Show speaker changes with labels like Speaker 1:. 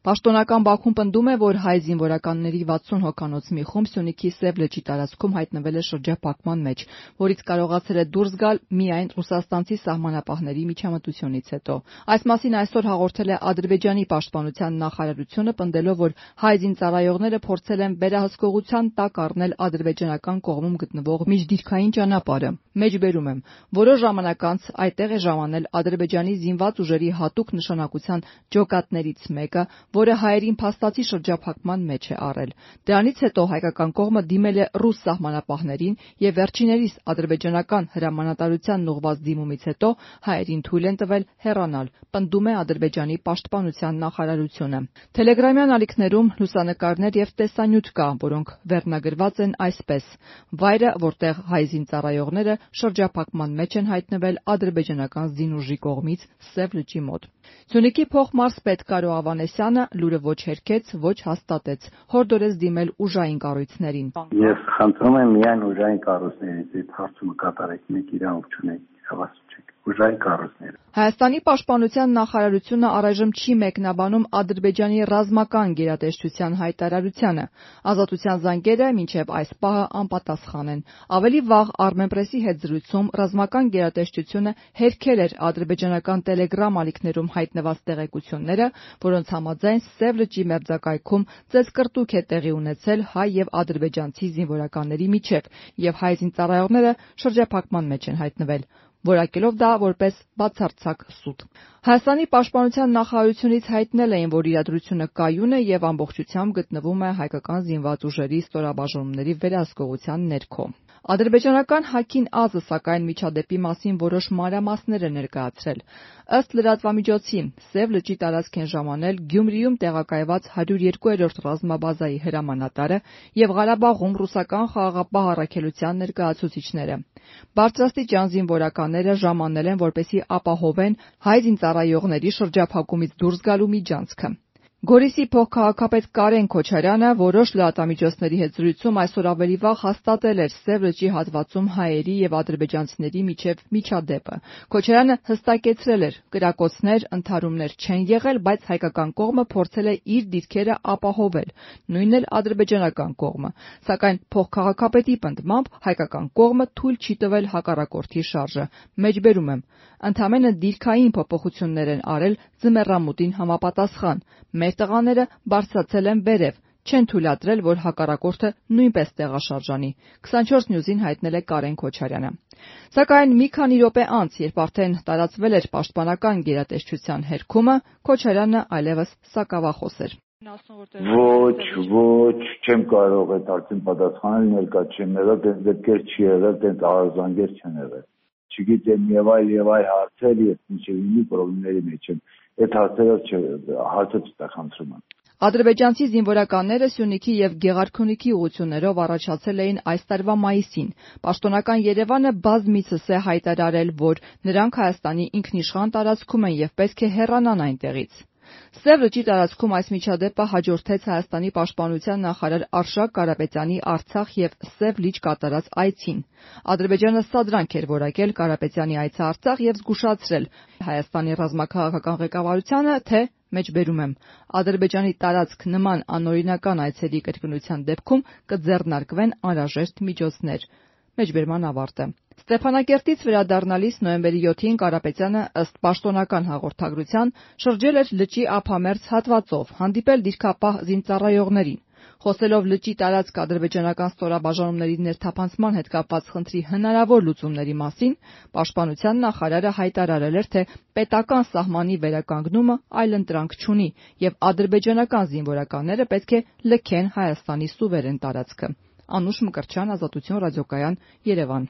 Speaker 1: Պաշտոնական Բաքուն պնդում է, որ հայ զինվորականների 60 հոգանոց մի խումբ Սյունիքի Սև լճի տարածքում հայտնվել է շրջափակման մեջ, որից կարողացել է դուրս գալ միայն ռուսաստանցի սահմանապահների միջամտությունից հետո։ Այս մասին այսօր հաղորդել է Ադրբեջանի պաշտպանության նախարարությունը, պնդելով, որ հայ զինծառայողները փորձել են վերահսկողության տակ առնել ադրբեջանական կողմում գտնվող միջդիրքային ճանապարհը։ Մեջբերում եմ, որոշ ժամանակ անց այդտեղ է ժամանել Ադրբեջանի զինված ուժերի հատուկ նշանակության ջոկատներից մեկը, որը հայերին փաստացի շրջափակման մեջ է առել։ Դրանից հետո հայկական կողմը դիմել է ռուս սահմանապահներին եւ վերջիներիս ադրբեջանական հրամանատարությանն ուղղված դիմումից հետո հայերին թույլ են տվել հեռանալ, պնդում է Ադրբեջանի պաշտպանության նախարարությունը։ Թելեգրամյան ալիքներում լուսանկարներ եւ տեսանյութ կա, որոնք վերնագրված են այսպես. վայրը, որտեղ հայ զինծառայողները շրջափակման մեջ են հայտնվել ադրբեջանական զինուժի կողմից Սև լճի մոտ։ Սյունիքի փոխմարզպետ Կարո Ավանեսյանը լուրը ոչ հերքեց, ոչ հաստատեց, հորդորեց դիմել ուժային կառույցներին։
Speaker 2: Ես խնդրում եմ միայն ուժային կառույցներից այդ հարցումը կատարեք, մեկ իրավունք չունեք, հավասար չեք։ Ուժային կառույցները։
Speaker 1: Հայաստանի պաշտպանության նախարարությունը առայժմ չի մեկնաբանում Ադրբեջանի ռազմական գերատեսչության հայտարարությանը։ Ազատության զանգերը մինչև այս պահը անպատասխան են։ Ավելի վաղ Armenpress-ի հետ զրույցում ռազմական գերատեսչությունը հերքել էր ադրբեջանական տելեգրամ ալիքներում հայտնված տեղեկությունները, որոնց համաձայն Սև լճի մերձակայքում ծեծկռտուք է տեղի ունեցել հայ եւ ադրբեջանցի զինվորականների միջև, եւ հայ զինծառայողները շրջափակման մեջ են հայտնվել, որակելով դա որպես բացարձակ սուտ։ Հայաստանի պաշտպանության նախարարությունից հայտնել էին, որ իրադրությունը կայուն է եւ ամբողջությամբ գտնվում է հայկական զինված ուժերի ստորաբաժանումների վերահսկողության ներքո։ Ադրբեջանական Հաքին Ազը, սակայն, միջադեպի մասին որոշ մանրամասներ է ներկայացրել։ Ըստ լրատվամիջոցի, Սև լճի տարածք են ժամանել Գյումրիում տեղակայված 102-րդ ռազմաբազայի հրամանատարը եւ Ղարաբաղում ռուսական խաղաղապահ առաքելության ներկայացուցիչները։ Բարձրաստիճան զինվորականները ժամանել են, որպեսզի ապահովեն հայ զինծառայողների շրջափակումից դուրս գալու միջանցքը։ Գորիսի փոխքաղաքապետ Կարեն Քոչարյանը որոշ լրատվամիջոցների հետ զրույցում այսօր ավելի վաղ հաստատել էր Սև լճի հատվածում հայերի եւ ադրբեջանցիների միջև միջադեպը։ Քոչարյանը հստակեցրել էր, կրակոցներ, ընդհարումներ չեն եղել, բայց հայկական կողմը փորձել է իր դիրքերը ապահովել, նույնն էլ ադրբեջանական կողմը։ Սակայն փոխքաղաքապետի պնդմամբ հայկական կողմը թույլ չի տվել հակառակորդի շարժը։ Մեջբերում եմ, ընդամենը դիրքային փոփոխություններ են արել ձմեռամուտին համապատասխան։ Մեր տղաները բարձրացել են վերև, չեն թույլատրել, որ հակառակորդը նույնպես տեղաշարժանի, 24 News-ին հայտնել է Կարեն Քոչարյանը։ Սակայն մի քանի րոպե անց, երբ արդեն տարածվել էր պաշտպանական գերատեսչության հերքումը, Քոչարյանը այլևս սակավախոս էր։
Speaker 3: Ոչ, չեմ կարող այդ հարցին պատասխանել, ներկա չեմ եղել, դες դեպքեր չի եղել, դες արձանգեր չեն եղել։ Չգիտեմ եւ այլ հարցեր, ես միշտ ինի պրոբլեմների մեջ եմ։ Այդ հարցը չտախանցում եմ։
Speaker 1: Ադրբեջանցի զինվորականները Սյունիքի եւ Գեղարքունիքի ուղղություններով առաջացել էին այս տարվա մայիսին։ Պաշտոնական Երևանը բազմիցս է հայտարարել, որ նրանք Հայաստանի ինքնիշխան տարածքում են եւ պետք է հեռանան այնտեղից։ Սև լճի տարածքում այս միջադեպը հաջորդեց Հայաստանի պաշտպանության նախարար Արշակ Կարապետյանի Արցախ եւ Սև լիճ կատարած այցին։ Ադրբեջանը սադրանք էր որակել Կարապետյանի այցը Արցախ եւ զգուշացրել Հայաստանի ռազմաքաղաքական ղեկավարությանը, թե մեջբերում եմ, Ադրբեջանի տարածք նման անօրինական այցերի կրկնության դեպքում կձեռնարկվեն անհրաժեշտ միջոցներ։ Մեջբերման ավարտը։ Ստեփանակերտից վերադառնալիս նոյեմբերի 7-ին Կարապետյանը ըստ պաշտոնական հաղորդագրության շրջել էր լճի ափամերձ հատվածով, հանդիպել դիրքապահ զինծառայողներին։ Խոսելով լճի տարածք ադրբեջանական ստորաբաժանումների ներթափանցման հետ կապված խնդրի հնարավոր լուծումների մասին, պաշտպանության նախարարը հայտարարել էր, թե պետական սահմանի վերականգնումը այլընտրանք չունի եւ ադրբեջանական զինվորականները պետք է լքեն Հայաստանի սուվերեն տարածքը։ Անուշ Մկրտչյան, Ազատություն ռադիոկայան, Երևան։